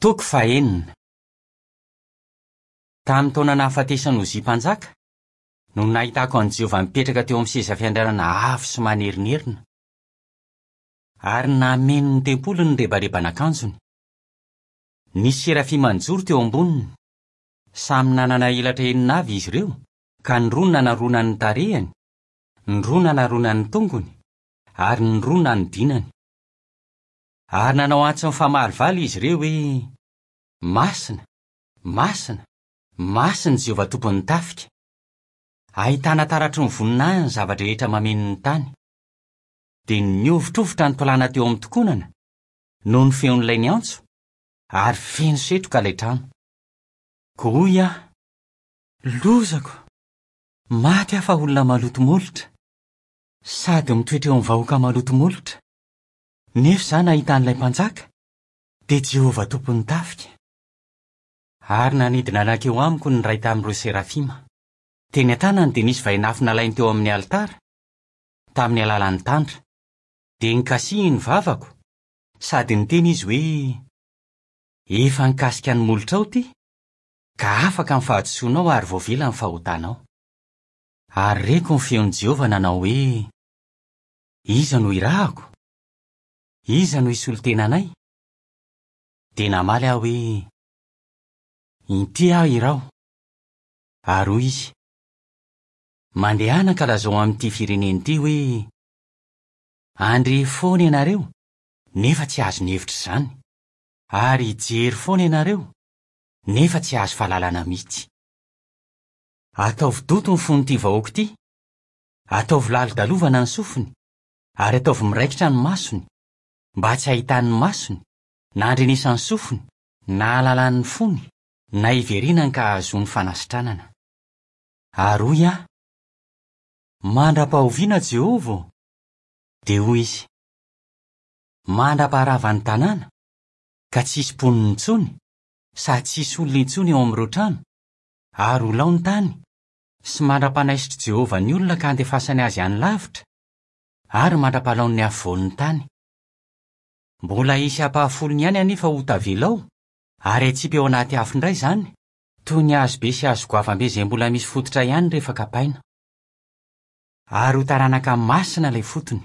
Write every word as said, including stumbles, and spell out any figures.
Toko fahenina. Tamin'ny taona nahafatesan'i Ozia mpanjaka no nahitako an'i Jehovah mipetraka teo amin'ny seza fiandrianana avo sy manerinerina, ary nameno ny tempoliny ny rebareban'akanjony. Nisy serafima nijoro teo amboniny. Samy nanana elatra enina avy izy ireo, ka ny roa nanaronany ny tarehiny, ny roa nanaronany ny tongony, ary ny roa nanodinany. Ary nanao antso mifamalivaly izy ireo hoe: Masina, masina, masina Jehovah tompon'ny tafika. Ahitana taratry ny voninahiny ny zava-drehetra mameno ny tany. Dia nihovitrovitra ny tolàna teo amin'ny tokonana noho ny feon'ilay niantso, ary feno setroka ilay trano. Koa hoy aho: Lozako, maty aho fa olona maloto molotra, sady mitoetra eo amin'ny vahoaka maloto molotra. Nefa izaho nahita an'ilay mpanjaka, dia Jehovah tompon'ny tafika. Ary nanidina nankeo amiko ny iray tamin'ireo serafima. Teny an-tanany dia nisy vainafo nalainy teo amin'ny alitara, tamin'ny alalan'ny tandra. Dia nikasihiny ny vavako, sady niteny izy hoe: Efa nikasika ny molotrao ity, ka afaka ny fahadisoanao ary voavela ny fahotanao. Ary reko ny feon'i Jehovah nanao hoe: Iza no irahako? Iza no hisolo tena anay? Dia namaly aho hoe: Inty aho iraho. Ary hoy izy: Mandehana ka lazao amin'ity firenena ity hoe: Handre foana ianareo, nefa tsy azo ny hevitra izany, ary hijery foana ianareo, nefa tsy azo fahalalana mihitsy. Ataovy doto ny fon'ity vahoaka ity, ataovy lalodalovana ny sofiny, ary ataovy miraikitra ny masony, mba tsy hahitan'ny masony, na handrenesan'ny sofiny, na hahalalan'ny fony, na hiverenany ka hahazoany fanasitranana. Ary hoy aho: Mandra-pahoviana Jehovah ô? Dia hoy izy: Mandra-paharavan'ny tanàna, ka tsy hisy mponina intsony, sady tsy hisy olona intsony eo amin'ireo trano, ary ho lao ny tany, sy mandra-panaisitr'i Jehovah ny olona ka handefasany azy any lavitra, ary mandra-palaon'ny afovoan'ny tany. Mbola hisy ampahafolony ihany anefa ho tavela ao, ary hatsipy eo anaty afo indray izany, toy ny hazo be sy hazo goavambe izay mbola misy fototra ihany rehefa kapaina. Ary ho taranaka masina ilay fotony.